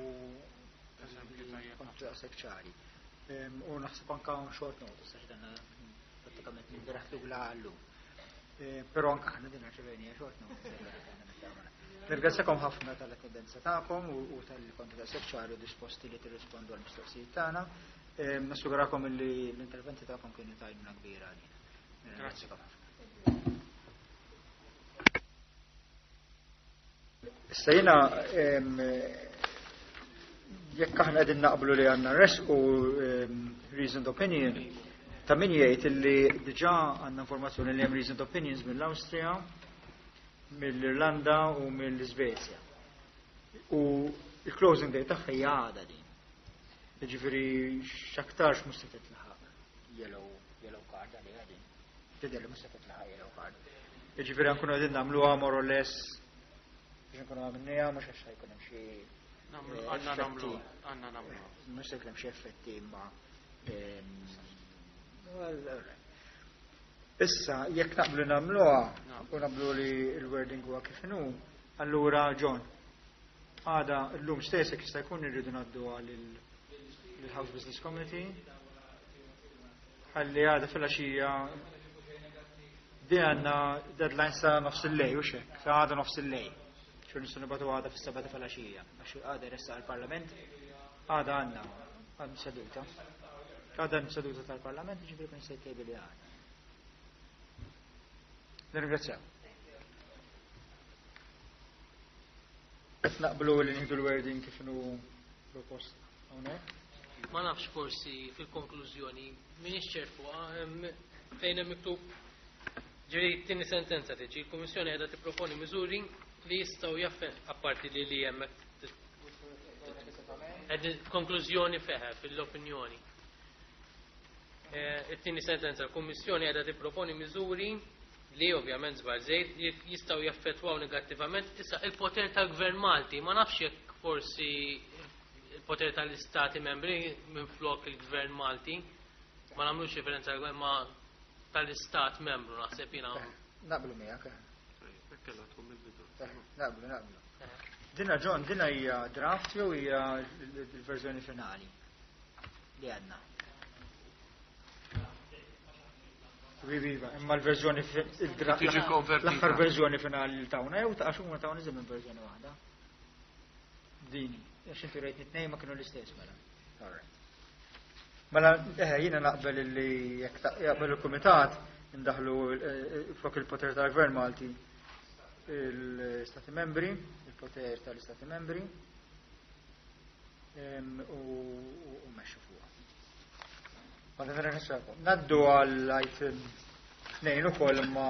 kontu daqshekk ċari. U naħseb anke hawn short notice għax dan prattikament nibiraħ lura għallum. Però anke aħna din rċevejnija short notice. Nirringrazzjakom ħafna tal-attendenza tagħkom u tal-li kontu daqshekk ċari u disposti li tirrispondu għall-mistoqsijiet tagħna. Nassigurakom li l-interventi tagħkom kienu ta' għajnuna kbira għalina. Nirringrazzjakom ħafna. Issa jiena jekk aħna qegħdin naqblu li għandna resqu reasoned opinion, ta' min jgħid illi diġà għandna informazzjoni li hemm reasoned opinions mill-Awstrija, mill-Irlanda u mill-Iżvezja. U il-closing date tagħha hija għada din. Jiġifieri x'aktarx mhux se titlaħaq yellow yellow card għaliha din. Tidher li mhux se titlaħaq yellow card. Jiġifieri nkunu qegħdin nagħmluha more or less biex nkunu għamilniha mhux għax jkun hemm xi għandna nagħmlu għandna nagħmlu. Mhux se jkun hemm xi effetti imma Issa, jekk naqblu nagħmluha u naqblu li l-wording huwa kif inhu, allura John, għada llum stess jekk jista' jkun irridu ngħadduha lill-House Business Committee. Ħalli għada fil-għaxija di għandna deadline sa nofs il-lejl u xek, sa għada nofs il-lejl. Xur nistgħu nibgħatu għada fis-seba' ta' filgħaxija, għax għada jressaq il-Parlament, għada għandna għandna seduta. Għada għandna seduta tal-Parlament, ġifieri kun se jtejbi li għada. Nirringrazzjaw. Qed naqblu li nieħdu l-wording kif inhu propost hawnhekk. Ma nafx forsi fil-konklużjoni m'iniex ċert fuqha fejn hemm miktub ġifieri t-tieni sentenza tiġi l-Kummissjoni qiegħda tipproponi miżuri li jistgħu jaffet apparti li li hemm konklużjoni feħe fil-opinjoni. It-tieni sentenza l-Kummissjoni qiegħda tipproponi miżuri li ovvjament żbar żejt jistgħu jaffettwaw negattivament issa il-poter tal-Gvern Malti, ma nafx jekk forsi il-poter tal-Istati membri minflok il-Gvern Malti, ma nagħmlux referenza għal ma tal-Istat membru naħseb jiena. Naqblu miegħek. Naqblu, naqblu. Dina John, dina hija draft jew hija l-verżjoni finali li għandna? Viva, imma l-verżjoni l-aħħar verżjoni finali li tawna jew ta' għax huma tawna iżjed minn verżjoni waħda. Dini, għax inti rejt tnejn ma kienu l-istess mela. All right. Mela eh jiena naqbel li jekk jaqbel il-kumitat indaħlu flok il-poter tal-Gvern Malti l-Stati membri, il-poter tal-Istati membri u mexxu fuqha. Naddu għal item tnejn ukoll imma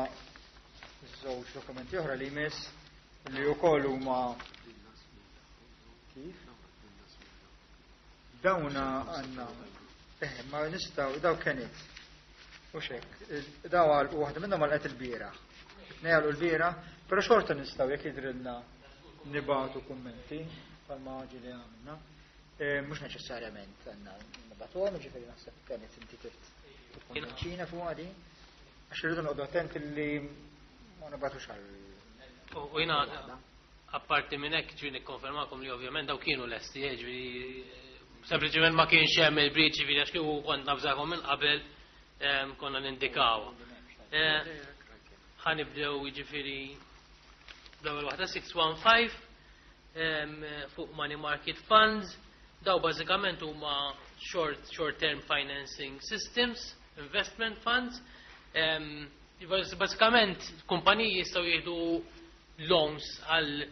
żewġ dokumenti oħra li jmiss li wkoll huma kif? Dawna għandna eh ma nistgħu daw kienet u xek, daw għal u waħda minnhom għalqet il-bieraħ. Tnejn għalqu l-bieraħ, però xorta nistgħu jekk jidrilna nibgħatu kummenti bħalma ġieli għamilna. Mhux neċessarjament għandna nibgħatuhom, jiġifieri naħseb kienet inti tikkonvinċina fuq din. Għax irridu noqogħdu attenti li ma nibgħatux għal. U jiena apparti minn hekk ġifieri nikkonfermakom li ovvjament daw kienu lesti, ġifieri sempliċement ma kienx hemm il-breach, ġifieri għax kieku kont nafżakom minn qabel konna nindikaw. Ħa nibdew jiġifieri l-ewwel waħda six one five fuq money market funds. Daw bażikament huma short, short-term financing systems, investment funds. Um, Basikament, kumpaniji jistgħu jieħdu loans għal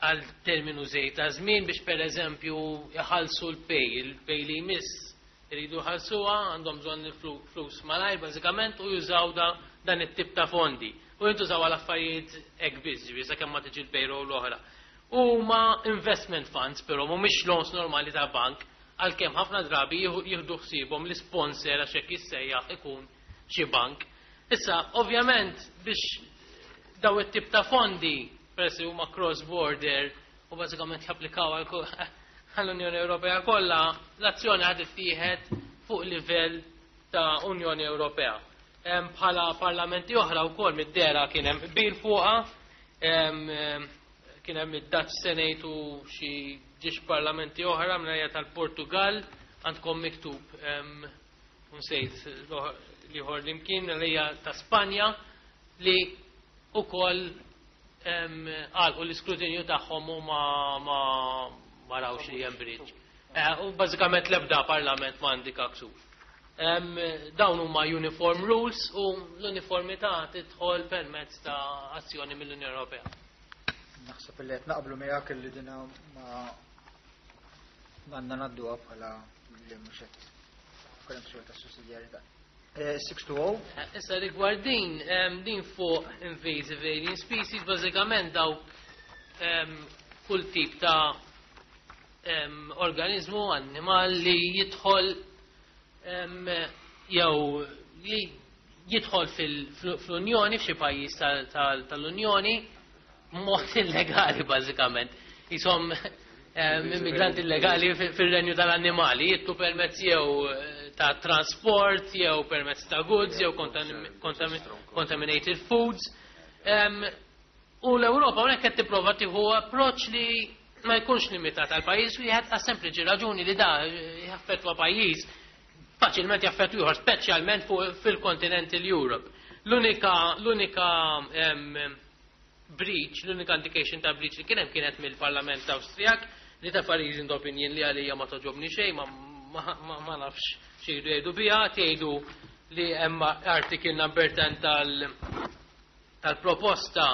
għal terminu żejt ta' żmien biex per eżempju jħallsu l-pay, il-pay li jmiss iridu jħallsuha, għandhom bżonn il-flus malajr bażikament u jużaw da, dan it-tip ta' fondi. U jintużaw għal affarijiet hekk biss, ġifieri sakemm ma tiġi l-payroll l-oħra. Huma investment funds, però mhumiex loans normali ta' bank, għalkemm ħafna drabi jieħdu ħsiebhom l-sponsor għax hekk jissejjaħ ikun xi bank. Issa, ovvjament, biex daw it-tip ta' fondi, peress li huma cross-border u bażikament japplikaw għall-Unjoni Ewropea kollha, l-azzjoni ħad ittieħed fuq livell ta' Unjoni Ewropea. Bħala parlamenti oħra wkoll mid-dera kien hemm qbil fuqha, kien hemm id-Dutch Senate u xi ġiex parlamenti oħra minn tal-Portugal, għandkom miktub nsejt liħor li mkien hija ta' Spanja li ukoll għalqu l-iskrutinju tagħhom u ma ma ma rawx li hemm breach. U bażikament l-ebda parlament ma indika ksur. Dawn huma uniform rules u l-uniformità tidħol permezz ta' azzjoni mill-Unjoni Ewropea. Naħseb li qed naqblu miegħek li dina ma għandna ngħadduha bħala li mhux qed kellem ksur ta' sussidjarjetà. sitt tnejn żero. Issa rigward din, din fuq invasive alien species, bażikament dawk kull tip ta' organizmu, animal li jidħol jew li jidħol fl-Unjoni, f'xi pajjiż tal-Unjoni, mod illegali bażikament. Jisom immigranti illegali fil-renju tal-annimali, jittu permezz jew ta' transport, jew permezz ta' goods, jew contaminated foods. U l-Ewropa hawnhekk qed tipprova tieħu approċċ li ma jkunx limitat għal pajjiż wieħed, għas sempliċi raġuni li da jaffettwa pajjiż, faċilment jaffettwa ieħor, speċjalment fil-kontinent Europe. L-unika l-unika breach, l-unika indication ta' breach li kien hemm kienet mill-Parlament Awstrijak li ta' reasoned opinion li għalija ma toġobni xejn, ma, ma, ma, ma nafx xi jgħidu biha, tgħidu li hemm article number ten tal tal-proposta.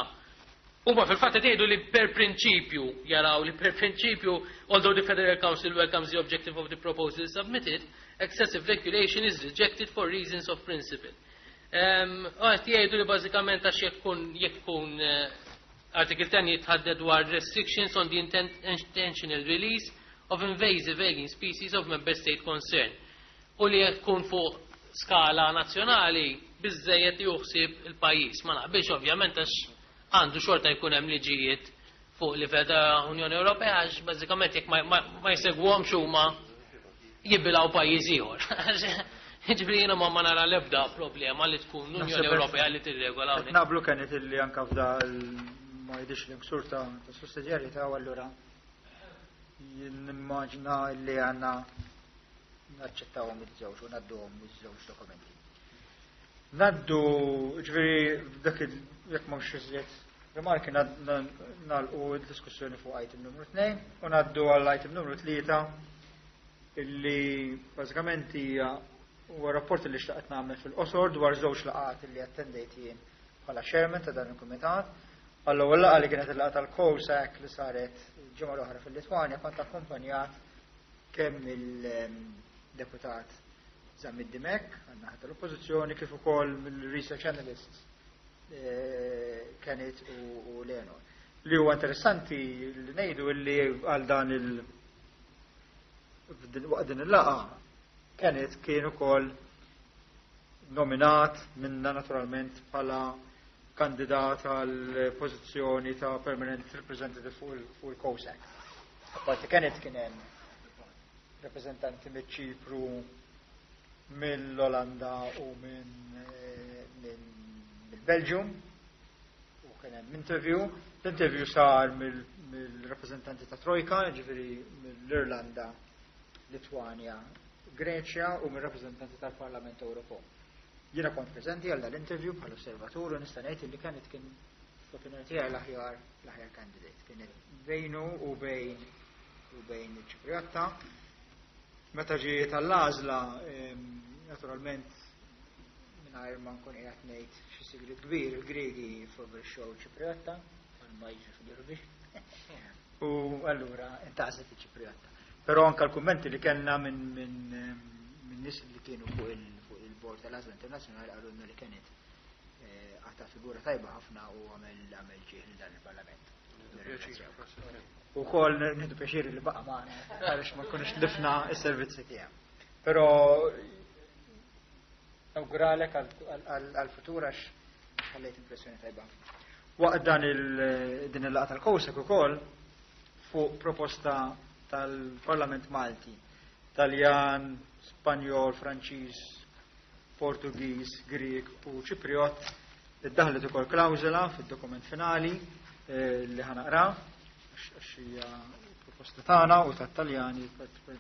Huma fil-fatt jgħidu li per prinċipju, jaraw li per prinċipju, although the Federal Council welcomes the objective of the proposal submitted, excessive regulation is rejected for reasons of principle. Għet jgħidu li bażikament għax jekk jekk article ten jitħadded dwar restrictions on the intentional release of invasive alien species of member state concern. U li jekk fuq skala nazzjonali biżejjed juħsib il-pajjiż. Ma naqbilx ovvjament, għax għandu xorta jkun hemm liġijiet fuq livell ta' Unjoni Ewropea, għax bażikament jekk ma jsegwhomx huma jibilgħu pajjiż ieħor. Ġifieri jiena ma nara l-ebda problema li tkun l-Unjoni Ewropea li tirregola. Naqblu kienet illi anka f'da ma jidhirx li ksur ta' sussidjarjetà u allura nimmaġina li għandna naċċettawhom iż-żewġ u ngħadduhom iż-żewġ dokumenti. Naddu, ġifieri dak jekk m'hawnx iżjed rimarki, nagħlqu d-diskussjoni fuq item numru tnejn u ngħaddu għall item numru tlieta, illi bażikament hija huwa rapport li xtaqt nagħmel fil-qosor dwar żewġ laqgħat li attendejt jien bħala chairman ta' dan il-kumitat. Għall-ewwel laqgħa, li kienet il-laqgħa tal-COSAC li saret ġimgħa l-oħra fil-Litwanja, kont akkumpanjat kemm il-deputat Zammit Dimek għan-naħa tal-Oppożizzjoni kif ukoll mill-research analysts eh, Kenneth u Leonor. Li huwa interessanti li ngħidu li għal dan il waqt din il-laqgħa Kenneth kien ukoll nominat minna naturalment bħala kandidat għal pożizzjoni ta' permanent representative fuq il-COSAC. Apparti Kenneth kien hemm rappresentanti mill-Ċipru, mill-Olanda u minn mill-Belgium u kien hemm interview. L-interview sar mill-rappresentanti ta' Trojka, ġifieri mill-Irlanda, Litwanja, Greċja u mill-rappresentanti tal-Parlament Ewropew. Jiena kont preżenti għal dal-interview bħal osservatur u nista' ngħid li kienet kien fl-opinjoni tiegħi l-aħjar l-aħjar candidate. Kienet bejnu u bejn u bejn iċ-Ċipriotta. Meta ġiet għall-għażla, naturalment mingħajr ma nkun qiegħed ngħid xi sigriet kbir, il-Griegi favorixxew Ċipriotta, ma jiġri fil-Eurovision. U allura intgħażlet iċ-Ċipriotta. Però anke l-kummenti li kellna minn minn nies li kienu fuq il-bord tal-għażla internazzjonali qalulna li kienet għata figura tajba ħafna u għamel għamel ġieħ lil dan il-Parlament. U kol nieħdu pjaċir li baqa' magħna għaliex ma nkunux tlifna s-servizzi tiegħu. Però nawguralek għal-futur għax ħallejt impressjoni tajba. Waqt dan din il-laqgħa tal-COSAC ukoll fuq proposta tal-Parlament Malti, Taljan, Spanjol, Franċiż, Portugiż, Grieg u Ċipriot, iddaħlet ukoll klawżola fid-dokument finali li ħa naqra għax hija proposta tagħna u tat-Taljani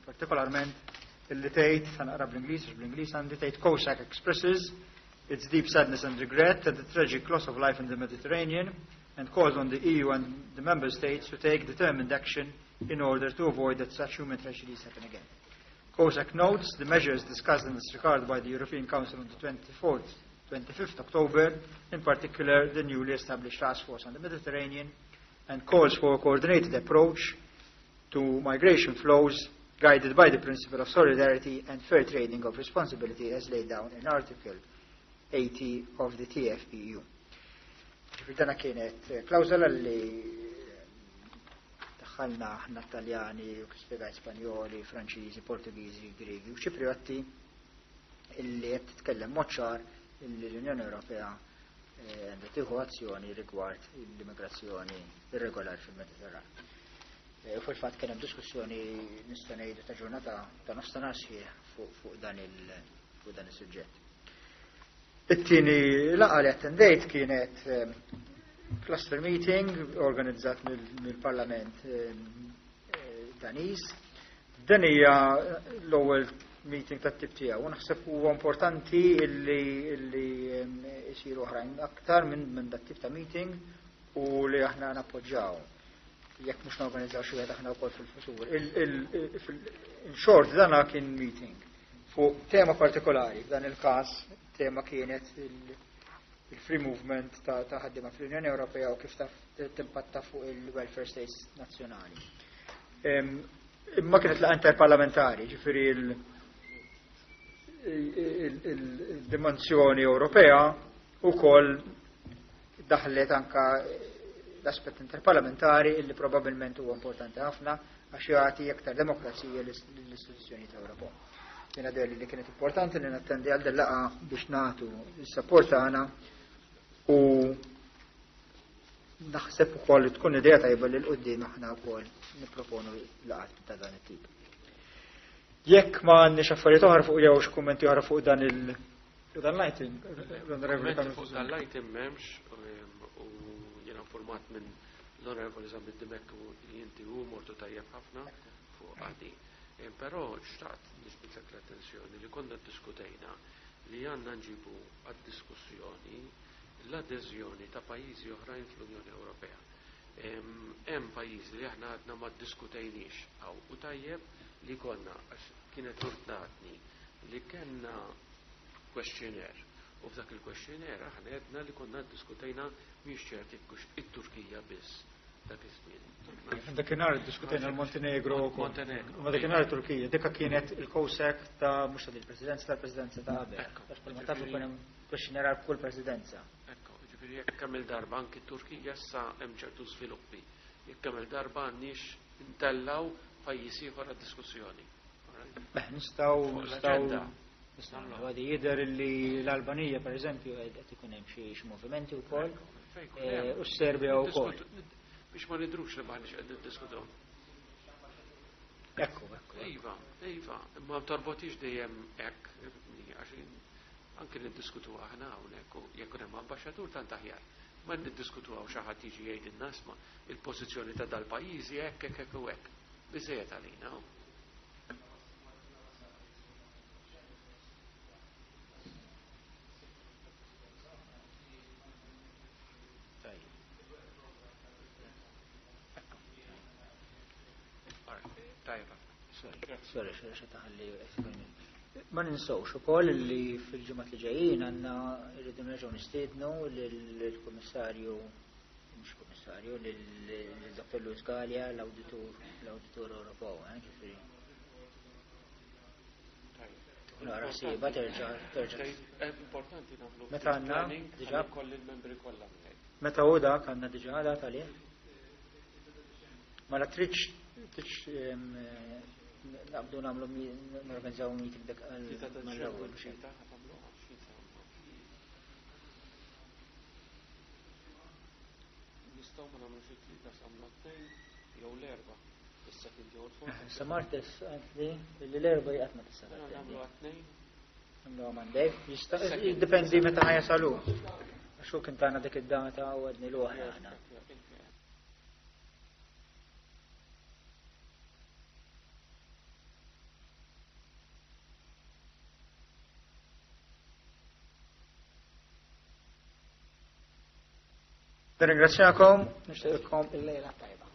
partikolarment illi tgħid, ħa naqra bl-Ingliż għax bl-Ingliż għandi tgħid COSAC expresses its deep sadness and regret at the tragic loss of life in the Mediterranean and calls on the E U and the member states to take determined action in order to avoid that such human tragedies happen again. COSAC notes the measures discussed in this regard by the European Council on the twenty-fourth, twenty-fifth October, in particular the newly established Task Force on the Mediterranean, and calls for a coordinated approach to migration flows guided by the principle of solidarity and fair trading of responsibility as laid down in Article eighty of the T F E U. Dana kienet klawżola li daħħalna aħna Taljani, u spjegajt Spanjoli, Franċiżi, Portugiżi, Griegi u Ċipriotti illi qed titkellem mod ċar illi l-Unjoni Ewropea għandha tieħu azzjoni rigward l-immigrazzjoni irregolari fil-Mediterran. U fil-fatt kien hemm diskussjoni nista' ngħidu ta' ġurnata ta' nofsinhar sħiħ fuq dan il fuq dan is-suġġett. It-tieni laqgħa li attendejt kienet cluster meeting organizzat mill-Parlament Daniż. Dan hija l-ewwel meeting tat-tip tiegħu u naħseb huwa importanti illi illi isiru oħrajn aktar minn minn dat tip ta' meeting u li aħna nappoġġjaw. Jekk mhux norganizzaw xi wieħed aħna wkoll fil-futur. In short, dana kien meeting fuq tema partikolari, f'dan il-każ tema kienet il-free movement ta' ħaddiema fl-Unjoni Ewropea u kif timpatta fuq il-welfare states nazzjonali. Imma kienet laqgħa interparlamentari, ġifieri il-dimensjoni Ewropea ukoll daħlet anka l-aspett interparlamentari illi probabilment huwa importanti ħafna għax jagħti aktar demokrazija l-istituzzjoni ta' Ewropa. Jiena deherli li kienet importanti li nattendi għal laqgħa biex nagħtu s-support tagħna u naħseb ukoll li tkun idea tajba li 'l quddiem aħna wkoll nipproponu laqgħat ta' dan it-tip. Jekk ma għandniex affarijiet oħra fuq jew xi kummenti oħra fuq dan il dan l-item, l-Onorevoli Fuq dan l-item m'hemmx u jiena informat minn l-Onorevoli Zammit Dimech u li inti u mortu tajjeb ħafna fuq għadi. Però xtaqt niġbidlek l-attenzjoni li konna diskutejna li għandna nġibu għad-diskussjoni l-adeżjoni ta' pajjiżi oħrajn fl-Unjoni Ewropea. Hemm pajjiżi li aħna għadna ma ddiskutejniex hawn u tajjeb li konna għax kienet ordnatni li kellna questionnaire u f'dak il-questionnaire aħna għedna li konna ddiskutejna mhix ċert jekk it-Turkija biss dak iż-żmien. Dakinhar diskutejna l-Montenegro. Montenegro. Ma dakinhar Turkija, dikka kienet il-COSAC ta' mhux ta' il-presidenza tal-presidenza ta' qabel. Għax bħalma tafu kien hemm questionnaire għal kull presidenza. Ekku, ġifieri jekk kemm il-darba anki Turkija issa hemm ċertu żviluppi. Jekk kemm il-darba għandniex intellaw pajjiż ieħor għad-diskussjoni. Beh, nistgħu nistgħu nistgħu għadi jidher li l-Albanija per eżempju qed ikun hemm xi movimenti wkoll u s-Serbja wkoll. Biex ma nidrux li maħniex qed niddiskutu. Ekku, ekku. Iva, iva, imma torbotix dejjem hekk, għax anke niddiskutu aħna hawnhekk u jekk hemm ambaxxatur tant aħjar. Ma niddiskutu hawn xi ħadd jiġi jgħidilna isma' il-pożizzjoni ta' dal-pajjiżi hekk hekk hekk u hekk. Biżejjed għalina. Tajba. Sorry, sorry, xi taħalli. Ma ninsewx ukoll li fil-ġimgħat li ġejjin għandna rridu nerġgħu nistiednu lill-Kummissarju, mhux Kummissarju, lil Dottor Louis Galea, l-Awditur l-Awditur Ewropew, eh, ġifieri. Nara siba terġa' terġa'. Importanti nagħmlu. Meta għandna diġà kolli l-membri kollha. Meta hu dak għandna diġà dat għalih? Mela tridx tridx naqbdu nagħmlu norganizzaw meeting dak mal-ewwel. Nistgħu ma nagħmlux it-tlieta sa tnejn jew l-erba'. Is-second jew l-fourth. Sa martes għandli li l-erba' jaqgħod ma tista' Nagħmlu għat-tnejn. Nagħmlu Monday. Jista' jiddependi meta ħa jasalu. Għax hu kien tagħna dik id-data u għadni l aħna. Nirringrazzjakom, nixtieqilkom il-lejla tajba.